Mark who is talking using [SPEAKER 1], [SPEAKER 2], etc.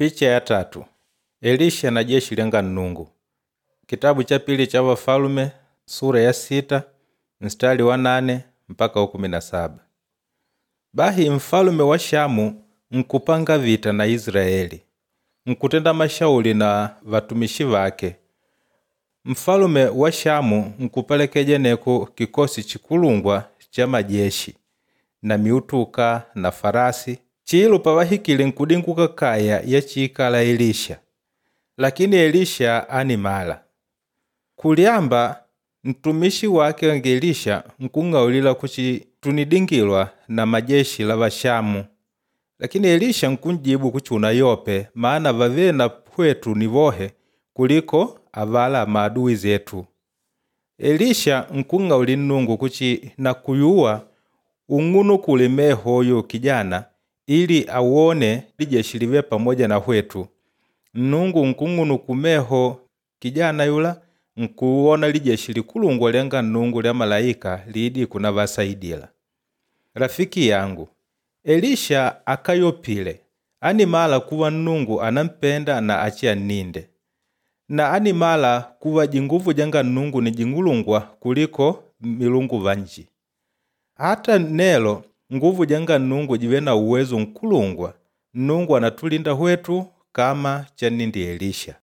[SPEAKER 1] Picha ya tatu Elisha na jeshi lyanga Nnungu. Kitabu cha pili cha Vafalume sura ya 6 mstari wa 8 mpaka wa 17. Bahi mfalume wa Shamu nkupanga vita na Israeli, nkutenda mashauri na vatumishi vake. Mfalume wa Shamu nkupelekeja neko kikosi chikulungwa cha majeshi na miutuka na farasi. Chilo pavahikile nkudinguka kaya ya chiikala Elisha. Lakini Elisha animala. Kulyamba ntumishi wake nge Elisha nkung'aulila kuchi tunidingilwa na majeshi la Vashamu. Lakini Elisha nkunjibu kuchi unayope maana vavie na pwetu ni vohe kuliko avala maadui zetu. Elisha nkung'auli Nnungu kuchi nakuyuwa ung'unukule mehoyo kijana ili awone lijeshi live pamoja na hwetu. Nnungu nkung'unuku meho kijana yula nkuwona lijeshi likulungwa lyanga Nnungu lya malaika liidi kunavasaidila. Rafiki yangu, Elisha akayopile animala kuwa Nnungu anampenda na achianninde. Na animala kuwa jinguvu janga Nnungu ni jing'ulungwa kuliko milungu vanji. Hata nelo nguvu janga Nnungu jive na uwezo nkulungwa. Nnungu anatulinda hwetu kama channindi Elisha.